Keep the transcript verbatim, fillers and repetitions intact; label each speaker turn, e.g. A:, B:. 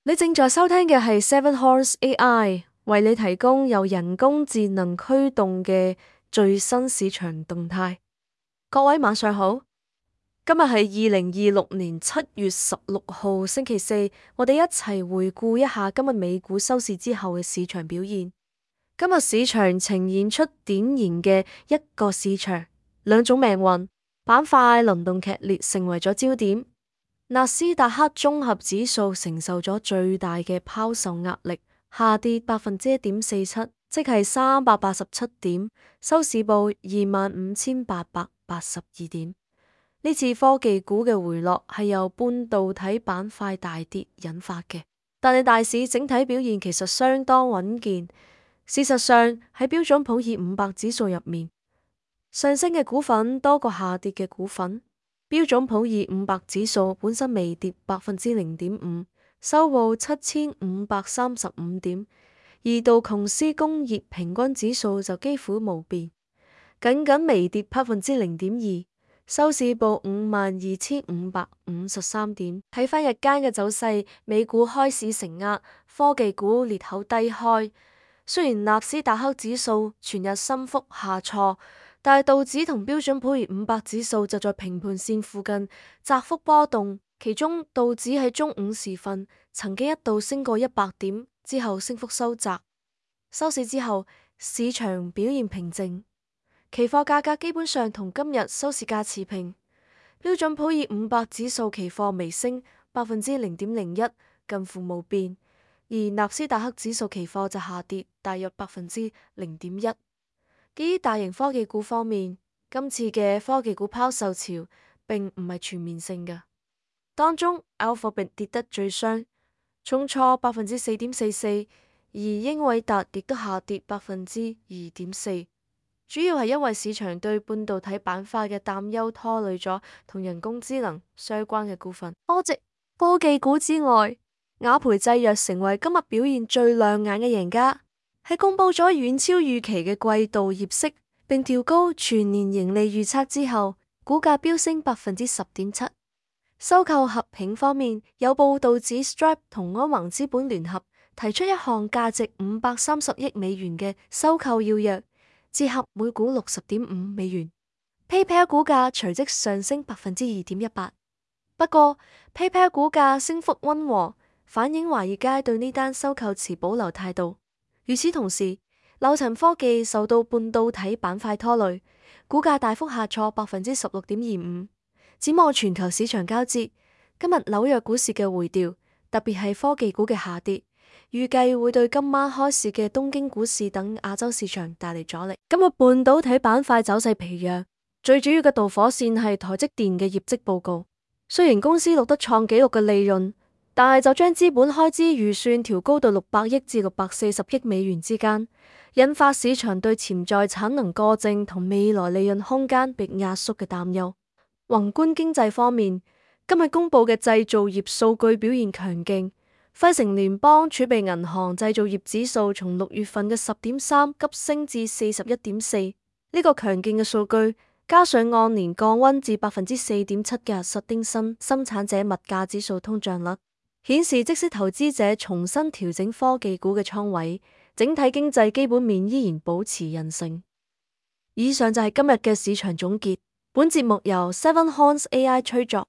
A: 你正在收聽嘅係 Seven Horse A I 為你提供由人工智能驅動嘅最新市場動態。各位晚上好，今日係二零二六年七月十六號星期四，我哋一齊回顧一下今日美股收市之後嘅市場表現。今日市場呈現出典型嘅一個市場兩種命運，板塊輪動劇烈，成為咗焦點。納斯達克綜合指數承受咗最大嘅拋售壓力，下跌百分之一點四七，即係三百八十七點，收市報二萬五千八百八十二點。呢次科技股嘅回落係由半導體板塊大跌引發嘅，但係大市整體表現其實相當穩健。事實上喺標準普爾五百指數入面，上升嘅股份多過下跌嘅股份。標準普爾五百指數本身微跌百分之零點五，收報七千五百三十五點，而道瓊斯工業平均指數就幾乎無變，僅僅微跌百分之零點二，收市報五萬二千五百五十三點。睇返日間嘅走勢，美股開市承壓，科技股裂口低開。雖然納斯達克指數全日升幅下挫，但係道指同標準普爾五百指數就在平盤線附近窄幅波動，其中道指喺中午時分曾經一度升過一百點，之後升幅收窄。收市之後，市場表現平靜，期貨價格基本上同今日收市價持平。標準普爾五百指數期貨微升百分之零點零一，近乎無變，而納斯達克指數期貨就下跌大約百分之零點一。基於大型科技股方面，今次嘅科技股拋售潮並唔係全面性嘅，當中 Alphabet 跌得最傷，重挫百分之四點四四，而英偉達亦都下跌百分之二點四，主要係因為市場對半導體板塊嘅擔憂拖累咗同人工智能相關嘅股份。科技科技股之外，雅培製藥成為今日表現最亮眼嘅贏家。喺公布咗遠超預期嘅季度業績，並調高全年盈利預測之後，股價飆升百分之十點七。收購合併方面，有報道指 Stripe 同安宏資本聯合提出一項價值五百三十億美元嘅收購要約，折合每股六十點五美元。PayPal 股價隨即上升百分之二點一八。不過 PayPal 股價升幅溫和，反映華爾街對呢單收購持保留態度。與此同時，柳層科技受到半導體板塊拖累，股價大幅下挫百分之十六點二五。展望全球市場交接，今日紐約股市嘅回調，特別係科技股嘅下跌，預計會對今晚開市嘅東京股市等亞洲市場帶嚟阻力。今日半導體板塊走勢疲弱，最主要嘅導火線係台積電嘅業績報告。雖然公司錄得創紀錄嘅利潤，但係就將資本開支預算調高到六百億至六百四十億美元之間，引發市場對潛在產能過剩同未來利潤空間被壓縮嘅擔憂。宏觀經濟方面，今日公布嘅製造業數據表現強勁，費城聯邦儲備銀行製造業指數從六月份嘅十點三急升至四十一點四，呢個強勁嘅數據，加上按年降溫至百分之四點七嘅實丁新生產者物價指數通脹率，顯示即使投資者重新調整科技股嘅倉位，整體經濟基本面依然保持韌性。以上就係今日嘅市場總結。本節目由 Seven Horse A I 吹作。